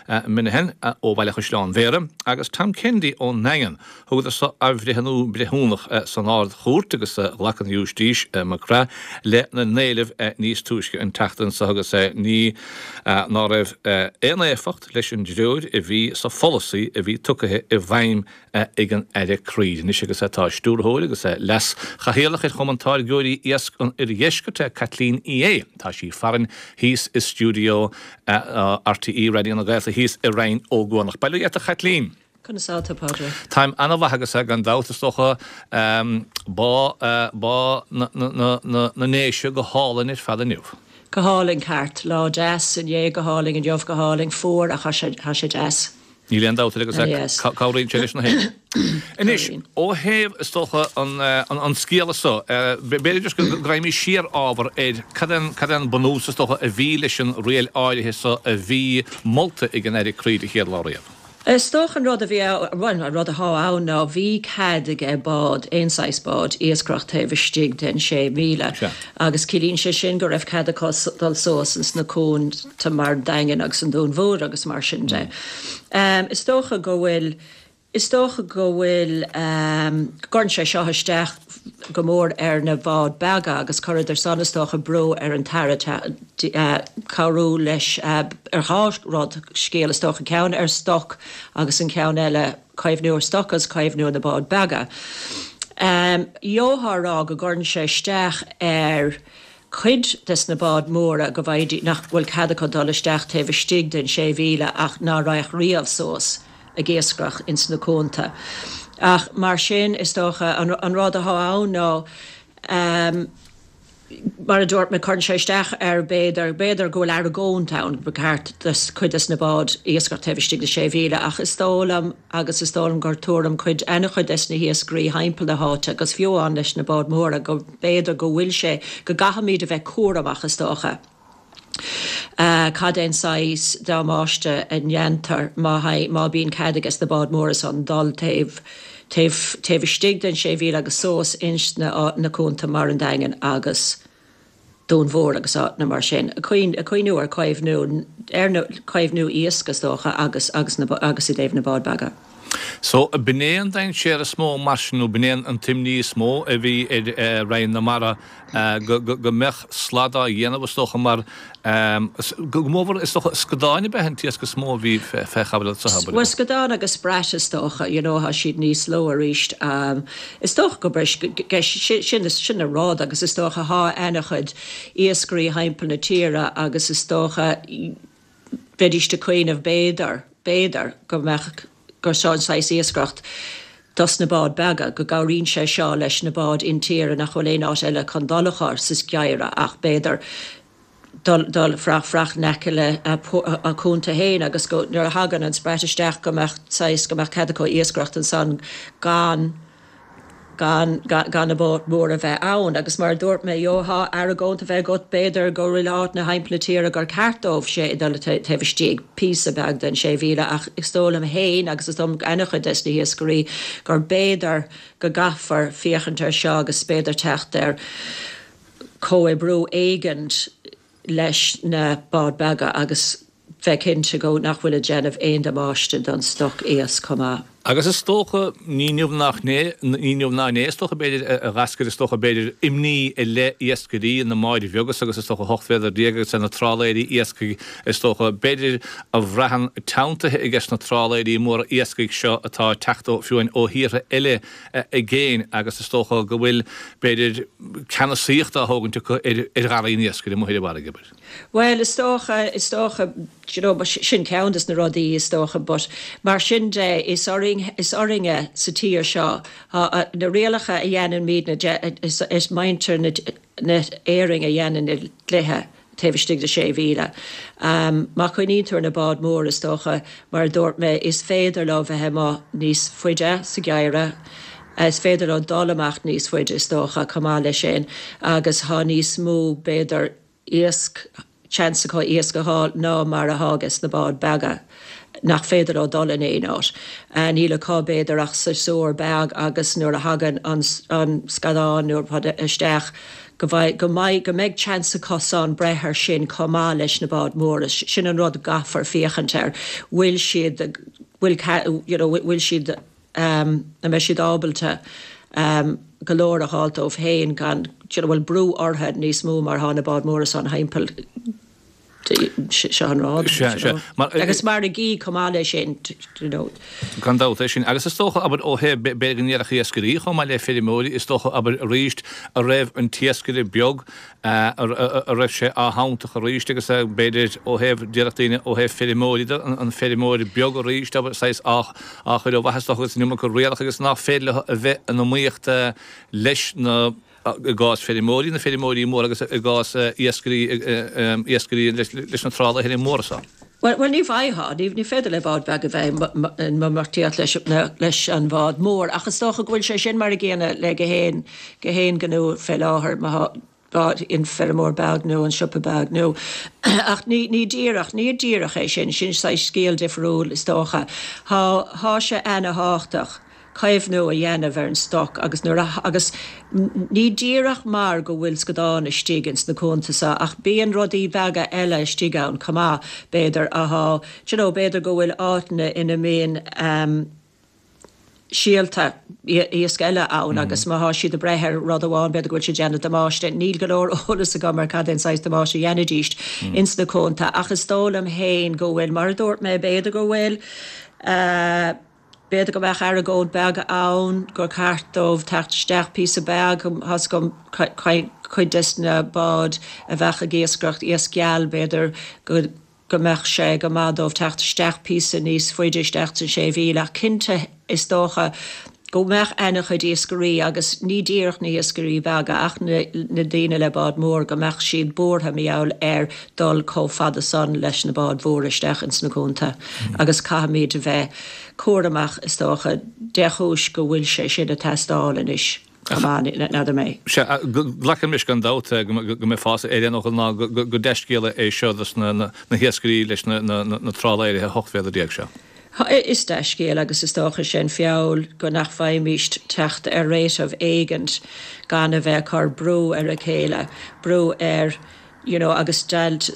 Minihan ó Bhaile Chaisleáin Bhéarra agus Tom Kennedy ón nDaingean. Thugadar so athbhreithniú breithiúnach san Ard-Chúirt agus ghlac an Ghiúistís MacGrath lena n-éileamh níos túisce an tseachtain seo agus ní ná raibh aon éifeacht leis an dtreoir a bhí sa pholasaí a bhí tugtha i bhfeidhm ag an Aire Creed. Anois agus tá Stiúrthóir agus Leas-Chathaoirleach ar Chumann Táirgeoirí Iasc an Oirdheiscirt, Caitlín Uí Aodha. Tá sí farainn thíos i stiúideo RTÉ Raidió na Gaeltachta thíos i Rinn Ó gCuanach. Bail ó Dhia ort a Chaitlín! Conas tá tú, a Phádraig? Táim ana-mhaith agus gan dabht is dócha bá bá na nDéise go hálainn ar fad inniu. Go hálainn ceart. Lá deas inné, go hálainn inniu, go hálainn fuar ach tá sé deas. Níl aon dabht air agus cabhraíonn sé leis na héin. Anois, ó thaobh, is dócha, an scéala so, b'fhéidir just go raghaimís siar ábhar ar cad é cad é an bunús, is dócha, a bhí leis an riail áirithe so a bhí molta ag an Aire Creed an chéad lá riamh. Is dócha an rud a bhí ann, bhuel, an rud athá ann ná bhí cead aige bád, aon saghas bád, iascaireacht taobh istigh den 6 mhíle agus ciallaíonn sé sin go raibh cead acu dul suas ins na cuanta mar an Daingean agus an Dún Mhór agus mar sin de. Is dócha go bhfuil, is dócha go bhfuil, go gcuireann sé seo isteach go mór ar na báid beaga agus chuireadar san is dócha brú ar an tAire cabhrú leis ar dhá rud, scéal is dócha, ceann ar stoc agus an ceann eile caomhnú ar stoc agus caomhnú ar na báid beaga. Gheofá a rá go gcuireann sé isteach ar cuid des na báid móra go bhfaighidí, nach bhfuil cead acu dul isteach taobh istigh den sé mhíle ach ná raghadh riamh suas ag iascaireacht ins na cuanta. Ach mar sin, is dócha, an rud athá ann ná, mar a dúirt mé, cuireann sé isteach ar, b'fhéidir, b'fhéidir go bhfuil argóint ann ba cheart do chuid des na báid iascaireacht taobh istigh de sé mhíle ach is dóigh liom agus is dóigh liom gur tuairim cuid, ana-chuid des na hiascairí thimpeall na háite agus fiú amháin leis na báid mhóra go b'fhéidir go bhfuil sé, go gcaithfimid a bheith cúramach is dócha. Cad é an saghas damáiste a ndéantar má má bíonn cead ages na báid móra san dul taobh taobh taobh istigh den 6 mhíle agus suas ins na na cuanta mar an Daingean agus Dún Mhór agus áiteanna mar sin. Ag cuimhniú ar caomhnú ar na caomhnú iasc is dócha agus agus na agus i dtaobh na bád beaga. So, b'in é an dainséar is mó mar sin, nó b'in é an t-imní is mó a bhí ar Roinn na Mara, go mbeadh slad á dhéanamh, is dócha, mar, go mórmhór, is dócha, scadáin ab ea an t-iasc is mó a bhí fé chaibidil anso, abair. Bhuel, scadáin agus sprat, is dócha, you know, tá siad níos lú arís. Is dócha go b'é sin an rud agus is dócha, thá ana-chuid iascairí thimpeall na tíre agus is dócha, bheidís ag cuimhneamh b'fhéidir, b'fhéidir, go mbeadh, gur seo an saghas iascaireacht dos na báid beaga, go gcabhraíonn sé seo leis na báid intíre nach bhfuil aon áit eile chun dul acu sa gheimhreadh ach b'fhéidir dul, dul fraoch, fraoch in aice le a cuanta fhéin agus go, nuair a thagann an sprat isteach go mbeadh saghas, go mbeadh cead acu iascaireacht ansan gan. gan gan na báid móra a bheith ann. Agus mar a dúirt mé, gheofá argóint a bheith agat, b'fhéidir go bhfuil áiteanna thimpeall na tíre gur ceart dóibh sé dul taobh istigh píosa beag den 6,000 ach is dóigh liom fhéin agus is dóigh liom ana-chuid des na hiascairí gur b'fhéidir go gcaithfear féachaint ar seo agus b'fhéidir teacht ar chomhoibriú éigint leis na báid beaga agus bheith cinnte go nach bhfuil ag déanamh aon damáiste don stoc iasc chomh maith. Agus is dócha, ní inniu ná inné, ní inniu ná inné, is dócha b'fhéidir, a dh'eascair, is dócha b'fhéidir, imní i leith iascairí na mbáid bheaga agus is dócha 18 mhéadar agus ar na trálaeirí iascaigh, is dócha, b'fhéidir, a bhraitheann teanntaithe ages na trálaeirí móra iascaigh seo atá ag teacht ó, fiú amháin ó thíortha eile i gcéin agus is dócha go bhfuil, b'fhéidir, ceannasaíocht á thógaint acu ar gharraí an iascaigh amuigh ar an bhfarraige, abair. Bhuel, is dócha, is dócha, do you know, sin ceann des na rudaí is dócha but mar sin de is orainn, is orainne sa tír seo, tá na rialacha a dhéanaimidne, is, is muintir na, na hÉireann a dhéanann na dlíthe taobh istigh de sé mhíle. Má choinníonn tú ar na báid móra is dócha, mar a dúirt mé, is féidir leo bheith amuigh níos faide sa gheimhreadh, is féidir leo dul amach níos faide is dócha chomh maith leis sin agus tá níos mó b'fhéidir iasc, seans acu iasc a fháil ná mar athá ages na báid beaga nach féidir leo dul in aon áit. Níl acu b'fhéidir ach séasúr beag agus nuair a thagann an scadán nó rud isteach. Go bhfaigh, go mbeidh, go mbeidh chance acusan breith ar sin chomh maith leis na báid mhóra. Sin an rud a gcaithfear féachaint air. Bhfuil siad, bhfuil, you know, bhfuil siad, an mbeidh siad ábalta go leor a dh'fháilt dóibh féin gan, you know, bhfuil brú orthu níos mó mar thá na báid mhóra san thimpeall. Seo an rud. Sea, sea. Mar. Agus margaí chomh maith leis sin, you know. Gan dabht é sin. Agus is dócha, abair, ó thaobh, b'fhéidir go ndéarfadh iascairí chomh maith le feirmeoirí, is dócha, abair, arís, a raibh an t-iascaire beag, a raibh sé athshantach arís agus b'fhéidir ó thaobh, déarfadh daoine, ó thaobh feirmeoirí de, an feirmeoir beag arís, abair, saghas á chur ó mhaitheas, is dócha, agus an iomarca rialacha agus nach féidir leo a bheith in iomaíocht leis na. i gcás feirmeoirí, na feirmeoirí móra agus i gcás iascairí, iascairí leis na trálaeirí móra so. Bhuel, ní bhfaightheá, ní féidir le bád beag a bheith in iomaíocht leis an bhád mór ach is dócha go bhfuil sé sin mar a gcéanna le gach aon, gach aon ghnó fé láthair, má thá bád, an feirmeoir beag nó an siopa beag nó, ach ní, ní díreach, ní díreach é sin, sin saghas scéal difriúil is dócha. Thá, thá sé ana-thábhachtach. caomhnú a dhéanamh ar an stoc agus nuair a, agus ní díreach mar go bhfuil scadán istigh ins na cuanta so ach bíonn rudaí beaga eile istigh ann chomh maith, b'fhéidir, athá, do you know, b'fhéidir go bhfuil áiteanna ina mbíonn ehm síolta iasc eile ann agus má thá siad ag breith ar rud amháin b'fhéidir go bhfuil siad ag déanamh damáiste. Níl go leor eolas agam ar cad é an saghas damáiste a dhéanfaidís ins na cuanta ach is dóigh liom fhéin go bhfuil, mar a dúirt mé, b'fhéidir go bhfuil eh, B'fhéidir go mbeadh argóint beag ann gur ceart dóibh teacht isteach píosa beag, tá's agam cuid des na báid a bheadh ag iascaireacht iasc geal, b'fhéidir go go mbeadh sé go maith dóibh teacht isteach píosa níos faide isteach san sé mhíle ach cinnte is dócha go mbeadh ana-chuid iascairí agus ní díreach na hiascairí beaga ach na na daoine le bád mór go mbeadh siad buartha mar gheall ar dul chomh fada san leis na báid mhóra isteach ins na cuanta agus caithfimid a bheith cúramach is dócha de chúis go bhfuil sé sin ag teastáil anois chomh maith, n'fheadar mé. Sea, glacaim leis gan dabht go mbeifeása ar aon fhocal ná gur dea-scéala é seo dos na hiascairí leis na trálaeirí 18 mhéadar seo. Is dea-scéal agus is dócha sé'n feall go nach bhfaighimíst teacht ar réiteach éigint gan a bheith ag cur brú ar a chéile, brú ar you know agus deighilt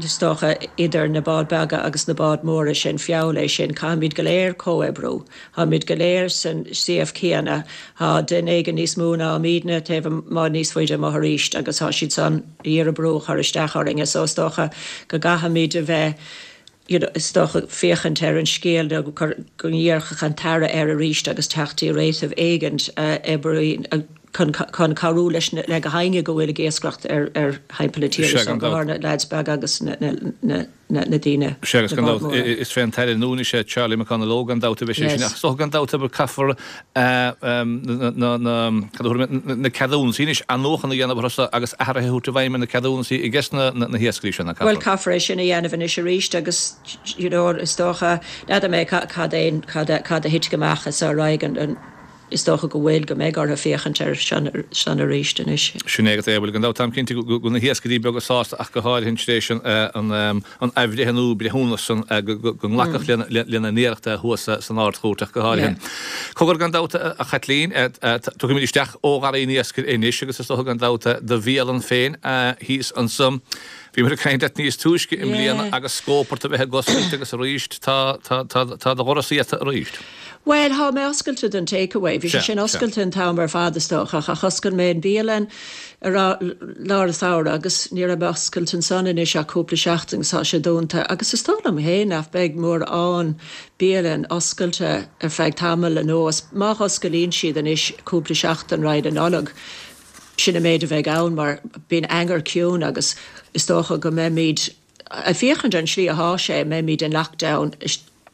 is dócha idir na báid beaga agus na báid móra sé'n feall é sin. Caithfimid go léir comhoibriú. Táimid go léir san CF céanna. Tá duine éigin níos mó ná muidne taobh amuigh níos faide amuigh arís agus tá siad san ag iarraidh brú a chur isteach orainne so is dócha go gcaithfimid a bheith you know is dócha féachaint ar an scéal nó go ndéarfadh an tAire air arís agus teacht i réiteach éigint a oibríonn chun chun cabhrú leis na le gach éinne go bhfuil ag iascaireacht ar ar thimpeall na tíre Sea, so gan go dabht. háirithe na leaids beaga agus na na na na na daoine Sea, agus na gan báid dabht mhóra. is fé an tAire nua anois é Charlie McConalogue gan dabht a bheidh sé sin Yes. ach is dócha gan dabht abair caithfear na na na cad a thabharfaidh mé na ceadúnasaí anois athnuachan a dhéanamh orthu so agus athruithe a thabhairt i bhfeidhm ar na ceadúnasaí ages na na hiascairí seo, nach Bhuel caithfear? caithfear é sin a dhéanamh anois arís agus you know is dócha n'fheadar mé cad é cad a cad a thitfidh amach as ar aghaidh an an Is dócha go bhfuil, go mbeidh orthu féachaint air san arís anois. Sin é agat é. Bhuel, gan dabht, táim cinnte go bhfuil na hiascairí beaga sásta ach go háirithe tar éis an athbhreithniú breithiúnach san go nglacadh lena n-iarracht thuas san Ard-Chúirt ach go háirithe. Cogar gan dabht, a Chaitlín, tiocfaimid isteach ó gharraí an iascaigh anois agus is dócha gan dabht do bhialann féin thíos anso. Bhíomar ag caint leat níos túisce i mbliana agus scóip ort a bheith ag oscailt agus arís tá do dhoras iata arís. Bhuel, thá mé oscailte don takeaway. Bhí sé sin oscailte an t-am ar fad is dócha, ach oscail mé an bhialann i lár an tsamhraidh agus ní raibh mé oscailte ansan anois ach cúpla seachtain agus tá sé dúnta. Agus is dóigh liom fhéin nach beidh mórán bialann oscailte ar feadh tamaill anuas. Má osclaíonn siad anois cúpla seachtain roimh an Nollaig, sin an méid a bheidh ann mar bíonn eagar ciúin agus is dócha go mbeimid ag féachaint ar an slí athá sé, mbeimid in lockdown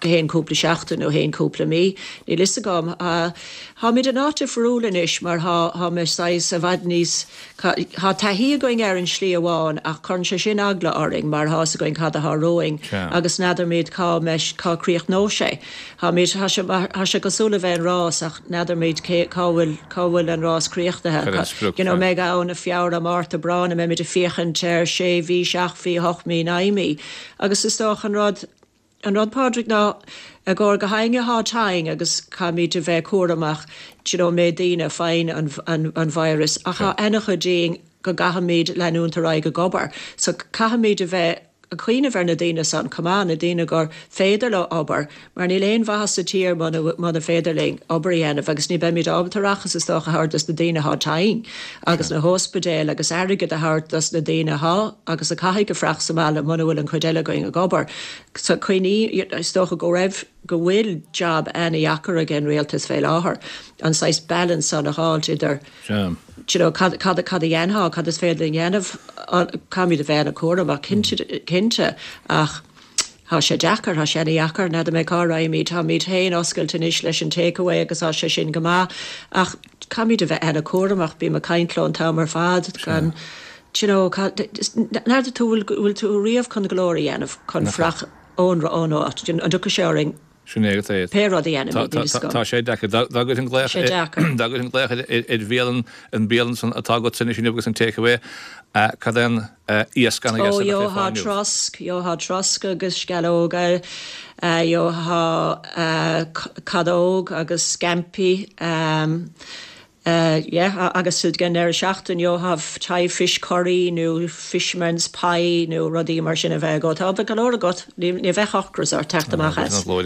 go haon cúpla seachtain nó haon cúpla mí, níl fhios agam. Táimid in áit difriúil anois mar thá, thá mé saghas i bhfad níos, thá taithí againn air in slí amháin ach cuireann sé sin eagla orainn mar thá fhios againn cad athá romhainn agus n'fheadarmaid cá mbeidh, cá críochnóidh sé. Táimid, thá sé, thá sé cosúil le bheith in rás ach n'fheadarmaid cé, cá bhfuil, cá bhfuil an rás críochnaithe. You know, mbeidh ann i Feabhra, Márta, Aibreán, a mbeimid ag féachaint ar sé mhí, seacht mhí, hocht mí, naoi mí agus is dócha an rud, An rud, Pádraig, ná i gcomhair gach éinne athá tinn agus caithfimid a bheith cúramach, do you know, an méid daoine a faigheann an, an, an virus ach thá ana-chuid dínn. go gcaithfimid leanúint ar aghaidh ag obair. So caithfimid a bheith ag cuimhneamh ar na daoine san chomh maith, na daoine gur féidir leo obair, mar níl aon mhaitheas sa tír muna muna féidir linn obair a dhéanamh agus ní beimid ábalta árachas is dócha a thabhairt dos na daoine athá tinn agus na hóispidéil agus airgead a thabhairt dos na daoine athá agus a caithfidh a fuireach sa mbaile muna bhfuil an chuid eile againn ag obair. So cuimhní, is dócha go raibh, go bhfuil jab ana-dheacair ag an rialtas fé láthair, an saghas balance san a dh'fháilt idir, Do you know, cad, cad, cad a dhéanfá, cad is féidir linn a dhéanamh, caithfimid a bheith ana-chúramach, cinnte, cinnte, ach tá sé deacair, tá sé ana-dheacair, n'fheadar mé cá raghaimid, táimid féin oscailte anois leis an takeaway agus tá sé sin go maith, ach caithfimid a bheith ana-chúramach, bím ag caint leo an t-am ar fad, gan, do you know, cad, n'fheadar tú, bhfuil, bhfuil tú riamh chun go leor a dhéanamh chun fuireach ón, ón áit, an dtiocfaidh sé orainn? Sin é agat é. Pé rud a dhéanaimid, níl fhios agam. Tá sé deacair. Dá gcuirfinn glaoch Sé deacair. dá gcuirfinn glaoch ar bhialann, an bialann san atá agatsa anois inniu agus an takeaway, cad é an iasc ana dheas a bheadh ar fáil inniu? Ó, gheofá trosc, gheofá trosc agus sceallóga, gheofá cadóg agus scaimpí, Yeah, agus ag an deireadh seachtaine gheofá Thai fish curry nó fisherman's pie nó rudaí mar sin a bheith agat. Tá, bheadh go leor agat, ní bheadh ocras ort teacht amach as. Mo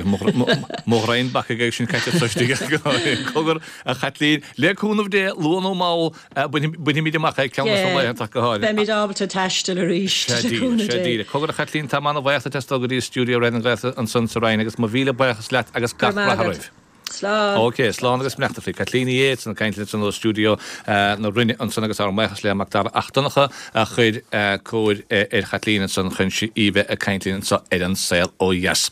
ghreim bacaigh ag sin caite istigh. Cogar, a Chaitlín, le cúnamh Dé, luath nó mall, bainfimid amach é ceann de na laethanta ach go háirithe. Beimid ábalta taisteal arís, le cúnamh Dé. Sea díreach. Cogar, a Chaitlín, tá mé ana-bhuíoch duit as dul go dtí stiúideo Raidió na Gaeltachta ansan sa Rinn agus mo mhíle buíochas leat agus gach rath oraibh. Slán. Ok, slán agus beannacht Dé. Caitlín Yeates ag caint linn ansan ó stiúideo na Rinne ansan agus ár mbuíochas le Mac Dara 'Ac Donncha a chuir cóir ar Chaitlín ansan chun í bheith ag caint linn anso ar An Saol Ó Dheas.